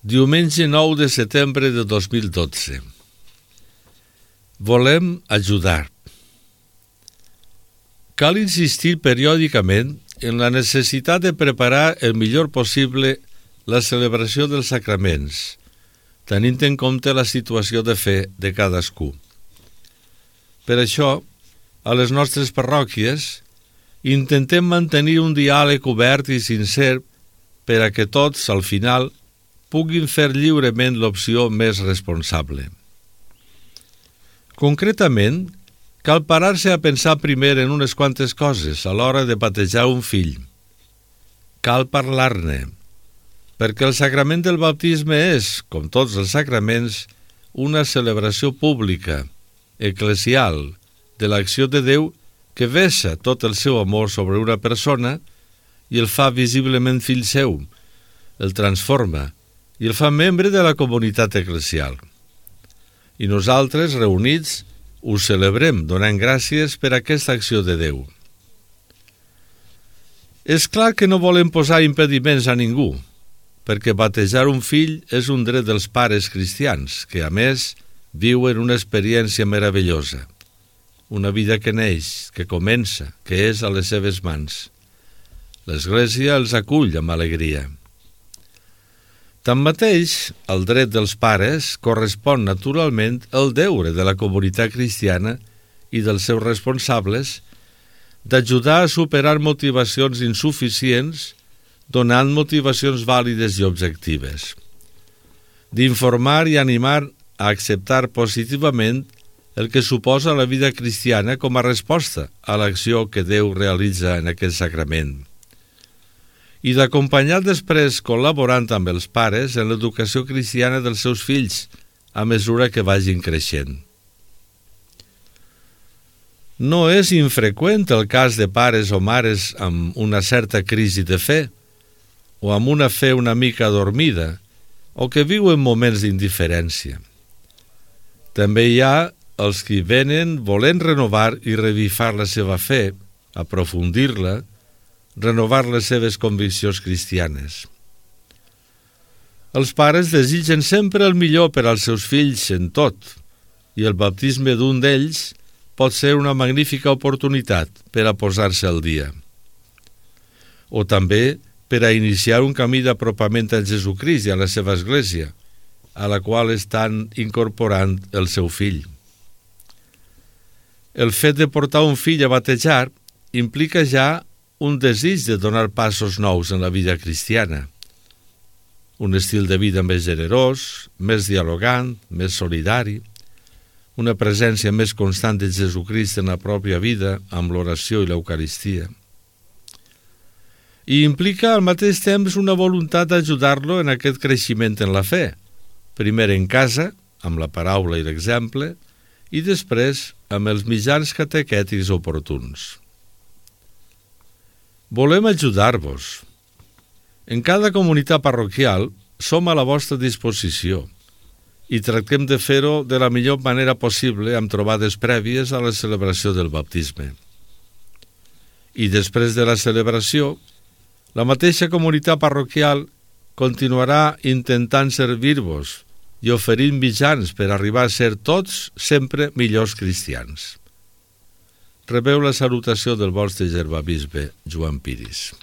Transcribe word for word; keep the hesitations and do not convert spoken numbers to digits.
Diumenge nou de setembre de dos mil dotze. Volem ajudar. Cal insistir periòdicament en la necessitat de preparar el millor possible la celebració dels sacraments, tenint en compte la situació de fe de cadascú. Per això, a les nostres parròquies, intentem mantenir un diàleg obert i sincer per a que tots, al final, puguin fer lliurement l'opció més responsable. Concretament, cal parar-se a pensar primer en unes quantes coses a l'hora de batejar un fill. Cal parlar-ne, perquè el sacrament del baptisme és, com tots els sacraments, una celebració pública, eclesial, de l'acció de Déu que vessa tot el seu amor sobre una persona i el fa visiblement fill seu, el transforma i el fa membre de la comunitat eclesial. I nosaltres, reunits, ho celebrem donant gràcies per aquesta acció de Déu. És clar que no volem posar impediments a ningú, perquè batejar un fill és un dret dels pares cristians, que a més viuen una experiència meravellosa, una vida que neix, que comença, que és a les seves mans. L'Església els acull amb alegria. Tanmateix, el dret dels pares correspon naturalment al deure de la comunitat cristiana i dels seus responsables d'ajudar a superar motivacions insuficients donant motivacions vàlides i objectives, d'informar i animar a acceptar positivament el que suposa la vida cristiana com a resposta a l'acció que Déu realitza en aquest sacrament, i d'acompanyar després col·laborant amb els pares en l'educació cristiana dels seus fills a mesura que vagin creixent. No és infreqüent el cas de pares o mares amb una certa crisi de fe o amb una fe una mica adormida o que viuen moments d'indiferència. També hi ha els que venen volent renovar i revifar la seva fe, aprofundir-la, renovar les seves conviccions cristianes. Els pares desitgen sempre el millor per als seus fills en tot, i el baptisme d'un d'ells pot ser una magnífica oportunitat per a posar-se al dia. O també per a iniciar un camí d'apropament a Jesucrist i a la seva Església, a la qual estan incorporant el seu fill. El fet de portar un fill a batejar implica ja un desig de donar passos nous en la vida cristiana, un estil de vida més generós, més dialogant, més solidari, una presència més constant de Jesucrist en la pròpia vida amb l'oració i l'Eucaristia. I implica al mateix temps una voluntat d'ajudar-lo en aquest creixement en la fe, primer en casa, amb la paraula i l'exemple, i després amb els mitjans catequètics oportuns. Volem ajudar-vos. En cada comunitat parroquial som a la vostra disposició i tractem de fer-ho de la millor manera possible amb trobades prèvies a la celebració del baptisme. I després de la celebració, la mateixa comunitat parroquial continuarà intentant servir-vos i oferint mitjans per arribar a ser tots sempre millors cristians. Rebeu la salutació del vostre germabisbe, Joan Piris.